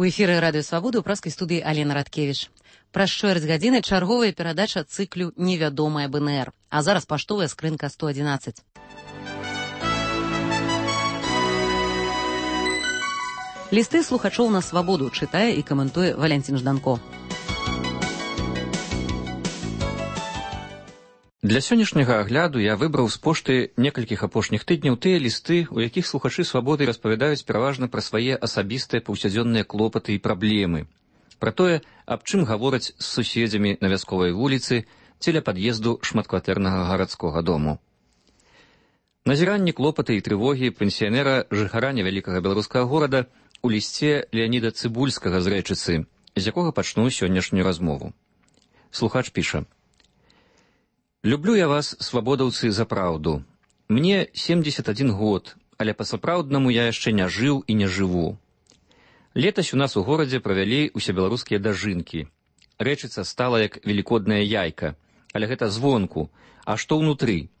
У эфіры радыё Свабода ў праскай студыі Алена Радкевіч. Праз чвэрць гадзіны чарговая перадача цыклю «Невядомая БНР». А зараз паштовая скрынка 111. Лісты слухачоў на Свабоду чытае і каментуе Валянцін Жданко. Для сённяшняга агляду я выбраў з пошты некалькіх апошніх тыдняў тыя лісты, у якіх слухачы Свабоды распавядаюць пераважна пра свае асабістыя паўсядзённыя клопаты і праблемы, пра тое, аб чым гавораць з суседзямі на вясковай вуліцы ці ля пад'езду шматкватэрнага гарадскога дому. Назіранні, клопаты і трывогі пенсіянера жыхара невялікага беларускага горада у лісце Леаніда Цыбульскага з Рэчыцы, з якога пачну сённяшнюю размову. Слухач піша: «Люблю я вас, свабодаўцы, за праўду. Мне 71 год, але па-сапраўднаму я яшчэ не жыў і не жыву. Летась у нас у горадзе правялі усебеларускія дажынкі. Рэчыца стала як велікодная яйка, але гэта звонку, а што ўнутры?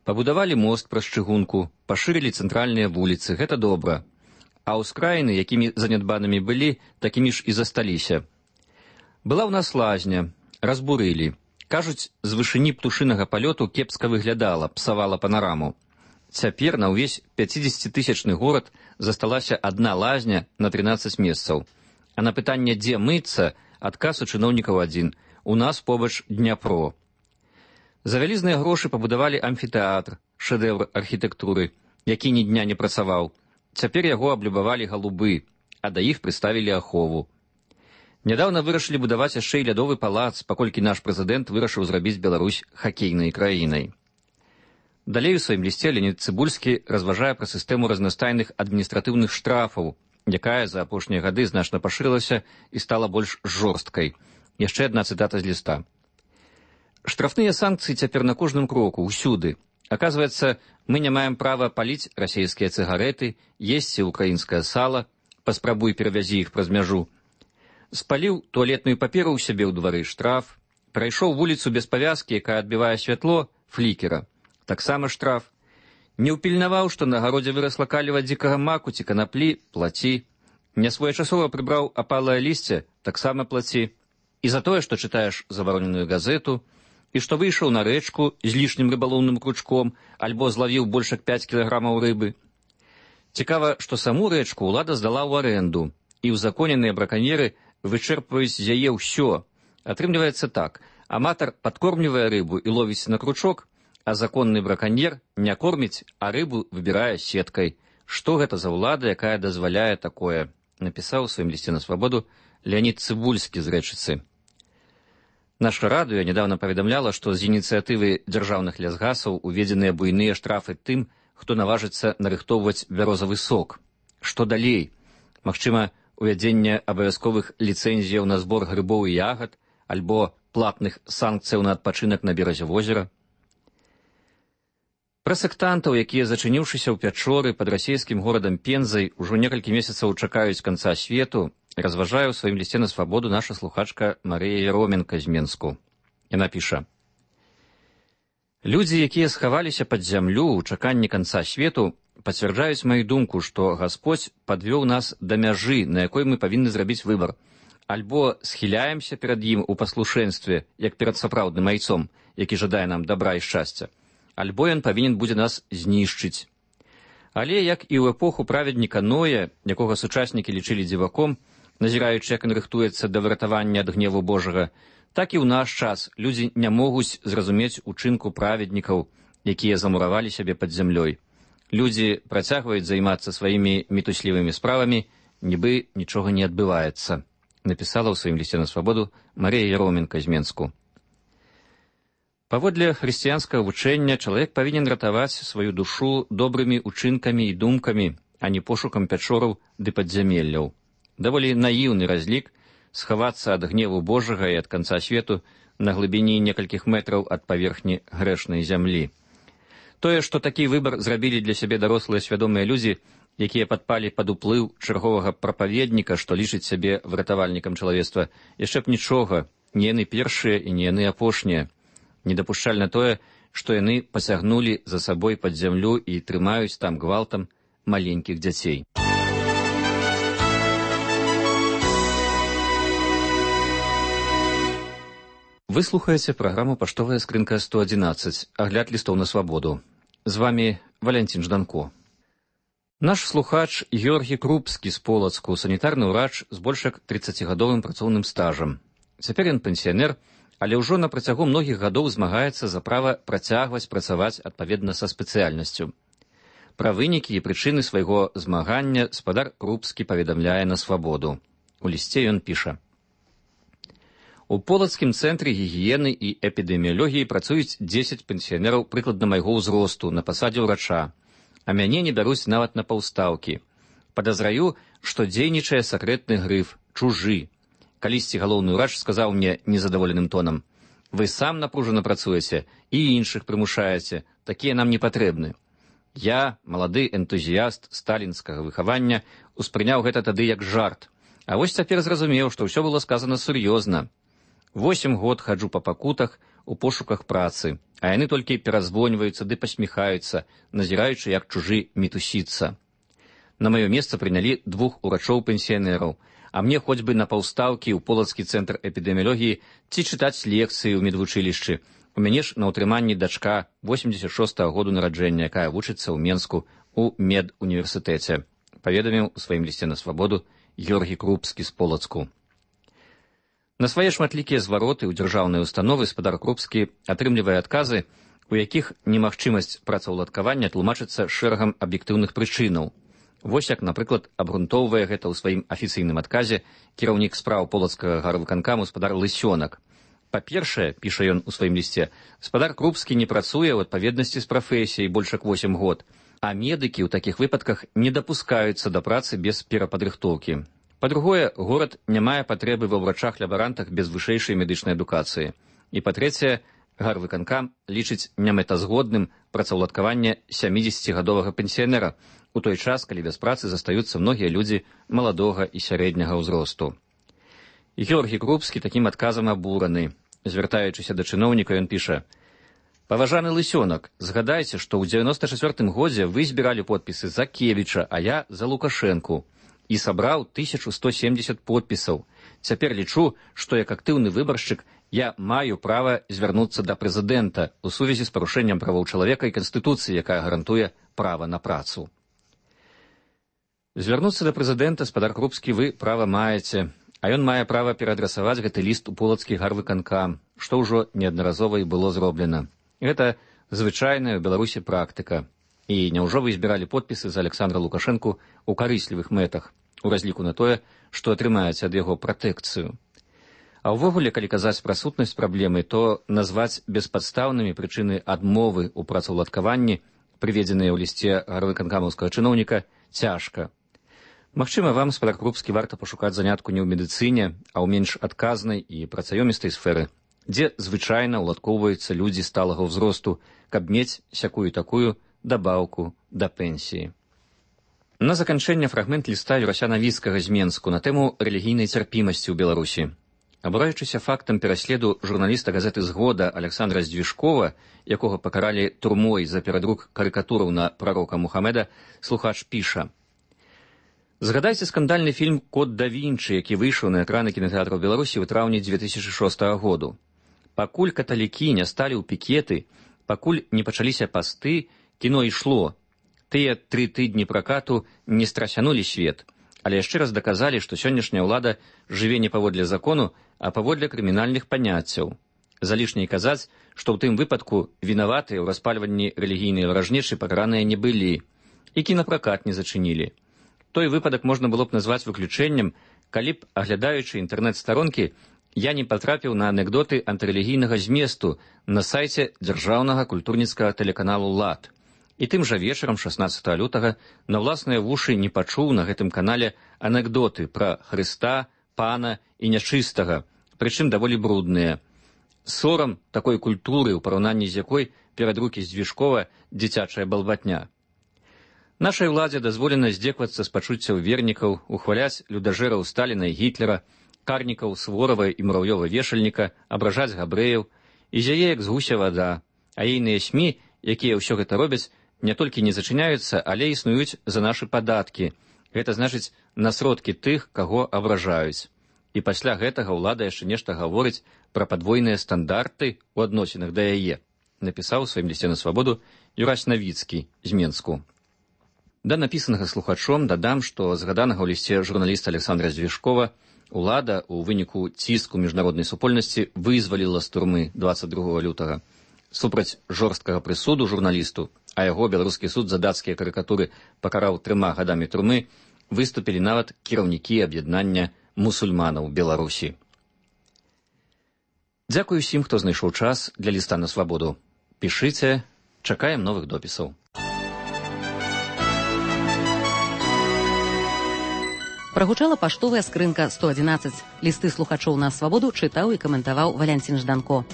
Пабудавалі мост праз чыгунку, пашырылі цэнтральныя вуліцы, гэта добра. А ўскраіны, якімі занядбанымі былі, такімі ж і засталіся. Была ў нас лазня, разбурылі. Кажуць, з вышыні птушынага палёту кепска выглядала, псавала панараму. Цяпер на ўвесь 50-тысячны горад засталася адна лазня на 13 месцаў. А на пытанне, дзе мыцца, адказ у чыноўнікаў адзін: у нас побач Дняпро. За вялізныя грошы пабудавалі амфітэатр, шэдэўр архітэктуры, які ні дня не працаваў. Цяпер яго аблюбавалі галубы, а да іх прыставілі ахову. Нядаўна вырашылі будаваць яшчэ і лядовы палац, паколькі наш прэзідэнт вырашыў зрабіць Беларусь хакейнай краінай. Далей у сваім лісце Леанід Цыбульскі разважае пра сістэму разнастайных адміністратыўных штрафаў, якая за апошнія гады значна пашырылася і стала больш жорсткай. Яшчэ адна цытата з ліста. «Штрафныя санкцыі цяпер на кожным кроку, усюды. Аказваецца, мы не маем права паліць расейскія цыгарэты, есці украінскае сала, паспрабуй перавязі іх праз мяжу. Спаліў туалетную паперу ў сябе ў двары, штраф. Прайшоў вуліцу без павязкі, якая адбівае святло, флікера. Таксама штраф. Не ўпільнаваў, што на гародзе вырасла каліва дзікага маку ці канаплі, плаці. Нясвоечасова прыбраў апалае лісце, таксама плаці. І за тое, што чытаеш забароненую газету, і што выйшаў на рэчку з лішнім рыбалоўным кручком, альбо злавіў больш як 5 кілаграмаў рыбы. Цікава, што саму рэчку ўлада здала ў арэнду, і ўзаконеныя браканьеры вычэрпваюць з яе ўсё. Атрымліваецца так: аматар падкормлівае рыбу і ловіць на кручок, а законны браканьер не корміць, а рыбу выбірае сеткай. Што гэта за ўлада, якая дазваляе такое?» напісаў у сваім лісце на Свабоду Леанід Цыбульскі з Рэчыцы. Наша радыё нядаўна паведамляла, што з ініцыятывы дзяржаўных лясгасаў уведзеныя буйныя штрафы тым, хто наважыцца нарыхтоўваць бярозавы сок. Што далей? Магчыма, увядзенне абавязковых ліцэнзіяў на збор грыбоў і ягад, альбо платных санкцыяў на адпачынак на беразе возера. Пра сектантаў, якія, зачыніўшыся ў пячоры пад расійскім горадам Пензай, ужо некалькі месяцаў чакаюць канца свету, разважае ў сваім лісце на Свабоду наша слухачка Марыя Яроменка з Менску. Яна піша: «Людзі, якія схаваліся пад зямлю ў чаканні канца свету, пацвярджаюць маю думку, што Гасподзь падвёў нас да мяжы, на якой мы павінны зрабіць выбар. Альбо схіляемся перад ім у паслушэнстве, як перад сапраўдным айцом, які жадае нам дабра і шчасця, альбо ён павінен будзе нас знішчыць. Але, як і ў эпоху праведніка Ноя, якога сучаснікі лічылі дзіваком, назіраючы, як ён рыхтуецца да выратавання ад гневу Божага, так і ў наш час людзі не могуць зразумець учынку праведнікаў, якія замуравалі сябе пад зямлёй. Людзі працягваюць займацца сваімі мітуслівымі справамі, нібы нічога не адбываецца», напісала ў сваім лісце на Свабоду Марія Яроменка з Менску. Паводле хрысціянскага вучэння чалавек павінен ратаваць сваю душу добрымі учынкамі і думкамі, а не пошукам пячораў ды падзямелляў. Даволі наіўны разлік схавацца ад гневу Божага і ад канца свету на глыбіні некалькіх метраў ад паверхні грэшнай зямлі. Тое, што такі выбар зрабілі для сябе дарослыя свядомыя людзі, якія падпалі пад уплыў чарговага прапаведніка, што лічыць сябе выратавальнікам чалавецтва, яшчэ б нічога, не яны першыя і не яны апошнія. Недапушчальна тое, што яны пасягнулі за сабой пад зямлю і трымаюць там гвалтам маленькіх дзяцей. Вы слухаеце праграму «Паштовая скрынка 111», агляд лістоў на свабоду. З вами Валянцін Жданко. Наш слухач Георгій Крупскі з Полацку, санітарны ўрач з больш як 30гадовым працоўным стажам. Цяпер ён пенсіянер, але ўжо на працягу многіх гадоў змагаецца за права працягваць працаваць адпаведна са спецыяльнасцю. Пра вынікі і прычыны свайго змагання спадар Крупскі паведамляе на свабоду. У лісце ён піша: У Полацкім цэнтры гігіены і эпідэміялогіі працуюць 10 пенсіянераў прыкладна майго ўзросту на пасадзе ўрача, а мяне не бяруць нават на паўстаўкі. Падазраю, што дзейнічае сакрэтны грыф «чужы». Калісьці галоўны ўрач сказаў мне незадаволеным тонам: «Вы сам напружана працуеце і іншых прымушаеце, такія нам не патрэбны». Я, малады энтузіяст сталінскага выхавання, успрыняў гэта тады як жарт, а вось цяпер зразумеў, што ўсё было сказана сур'ёзна. 8 год хаджу па пакутах у пошуках працы, а яны толькі перазвоньваюцца ды пасміхаюцца, назіраючы, як чужы мітусіцца. На маё месца прынялі 2 урачоў-пенсіянераў, а мне хоць бы на паўстаўкі ў Полацкі цэнтр эпідэміялогіі ці чытаць лекцыі ў медвучылішчы. У мяне ж на ўтрыманні дачка 86-го году нараджэння, якая вучыцца ў Менску ў медуніверсітэце, паведаміў у сваім лісце на свабоду Георгій Крупскі з Полацку. На свае шматлікія звароты ў дзяржаўныя установы спадар Крупскі атрымлівае адказы, у якіх немагчымасць працаўладкавання тлумачыцца шэрагам аб'ектыўных прычынаў. Вось як, напрыклад, абгрунтоўвае гэта ў сваім афіцыйным адказе кіраўнік спраў Полацкага гарвыканкаму спадар Лысёнак. Па-першае, піша ён у сваім лісце, спадар Крупскі не працуе ў адпаведнасці з прафесіяй больш як 8 год, а медыкі ў такіх выпадках не дапускаюцца да працы без перападрыхтоўкі. Па-другое, горад не мае патрэбы ва ўрачах-лябарантах без вышэйшай медычнай адукацыі. І па-трэцяе, гарвыканкам лічыць немэтазгодным працаўладкаванне 70гадовага пенсіянера, у той час, калі без працы застаюцца многія людзі маладога і сярэдняга ўзросту. Георгій Крупскі такім адказам абураны. Звяртаючыся да чыноўніка, ён піша: «Паважаны Лысёнак, згадайце, што ў 94-м годзе вы збіралі подпісы за Кевіча, а я за Лукашэнку. І сабраў 1170 подпісаў. Цяпер лічу, што як актыўны выбаршчык я маю права звярнуцца да прэзідэнта ў сувязі з парушэннем правоў чалавека і Канстытуцыі, якая гарантуе права на працу». Звярнуцца да прэзідэнта, спадар Крупскі, вы права маеце, а ён мае права пераадрасаваць гэты ліст у Полацкі гарвыканкам, што ўжо неаднаразова і было зроблена. Гэта звычайная ў Беларусі практыка. І няўжо вы збіралі подпісы за Александра Лукашэнку ў карыслівых мэтах, у разліку на тое, што атрымаеце ад яго пратэкцыю. А ўвогуле, калі казаць пра сутнасць праблемы, то назваць беспадстаўнымі прычыны адмовы ў працаўладкаванні, прыведзеныя ў лісце гарвыканкамаўскага чыноўніка, цяжка. Магчыма, вам, спадар Крупскі, варта пашукаць занятку не ў медыцыне, а ў менш адказнай і працаёмістай сферы, дзе звычайна ўладкоўваюцца людзі сталага ўзросту, каб мець сякую-такую дабаўку да пенсіі. На заканчэнне фрагмент ліста Юрася Навіцкага з Менску на тэму рэлігійнай цярпімасці ў Беларусі. Абураючыся фактам пераследу журналіста газеты «Згода» Александра Здвижкова, якога пакаралі турмой за перадрук карыкатураў на прарока Мухаммеда, слухач піша: «Згадайце скандальны фільм «Код да Вінчы», які выйшаў на экраны кінатэатраў Беларусі ў траўні 2006 году. Пакуль каталікі не сталі ў пікеты, пакуль не пачаліся пасты, кіно ішло. Тыя 3 тыдні пракату не страсянулі свет, але яшчэ раз даказалі, што сённяшняя ўлада жыве не паводле закону, а паводле крымінальных паняццяў. Залішне казаць, што ў тым выпадку вінаватыя ў распальванні рэлігійнай варажнечы пакараныя не былі, і кінапракат не зачынілі. Той выпадак можна было б назваць выключэннем, калі б, аглядаючы інтэрнэт-старонкі, я не патрапіў на анекдоты антырэлігійнага зместу на сайце дзяржаўнага культурніцкага тэлеканалу «Лад». І тым жа вечарам 16 лютага на ўласныя вушы не пачуў на гэтым канале анекдоты пра Хрыста, пана і нячыстага, прычым даволі брудныя. Сорам такой культуры, у параўнанні з якой перадрукі Здвижкова дзіцячая балбатня. Нашай уладзе дазволена здзеквацца з пачуццяў вернікаў, ухваляць людажэраў Сталіна і Гітлера, карнікаў Сворава і Мурав'ёва-вешальніка, абражаць габрэяў, і зяе як з гуся вада, а ейныя СМІ, якія ўсё гэта робяць, не толькі не зачыняюцца, але існуюць за нашы падаткі. Гэта значыць на сродкі тых, каго абражаюць. І пасля гэтага ўлада яшчэ нешта гаворыць пра падвойныя стандарты ў адносінах да яе, напісаў у сваім лісце на свабоду Юрась Навіцкі з Менску. Да напісанага слухачом дадам, што згаданага ў лісце журналіста Александра Звішкова улада ў выніку ціску міжнароднай супольнасці вызваліла з турмы 22 лютага. Супраць жорсткага прысуду журналісту, а яго беларускі суд за дацкія карыкатуры пакараў 3 гадамі турмы, выступілі нават кіраўнікі аб'яднання мусульманаў Беларусі. Дзякую усім, хто знайшоў час для ліста на свабоду. Пішыце, чакаем новых допісаў. Прагучала паштовая скрынка 111. Лісты слухачоў на свабоду чытаў і каментаваў Валянцін Жданко.